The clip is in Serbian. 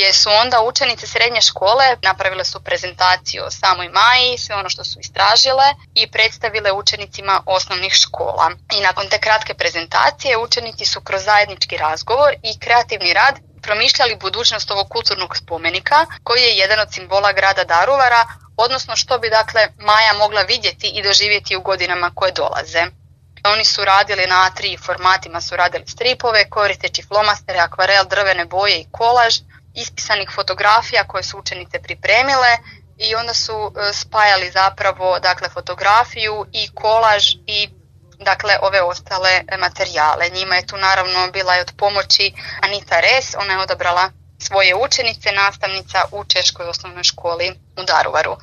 gdje su onda učenice srednje škole napravile su prezentaciju o samoj Maji, sve ono što su istražile i predstavile učenicima osnovnih škola. I nakon te kratke prezentacije učenici su kroz zajednički razgovor i kreativni rad promišljali budućnost ovog kulturnog spomenika koji je jedan od simbola grada Daruvara, odnosno što bi dakle Maja mogla vidjeti i doživjeti u godinama koje dolaze. Oni su radili na A3 formatima, su radili stripove koristeći flomastere, akvarel, drvene boje i kolaž, ispisanih fotografija koje su učenice pripremile i onda su spajali zapravo dakle fotografiju i kolaž i dakle ove ostale materijale. Njima je tu naravno bila i od pomoći Anita Res, ona je odabrala svoje učenice, nastavnica u Češkoj osnovnoj školi u Daruvaru.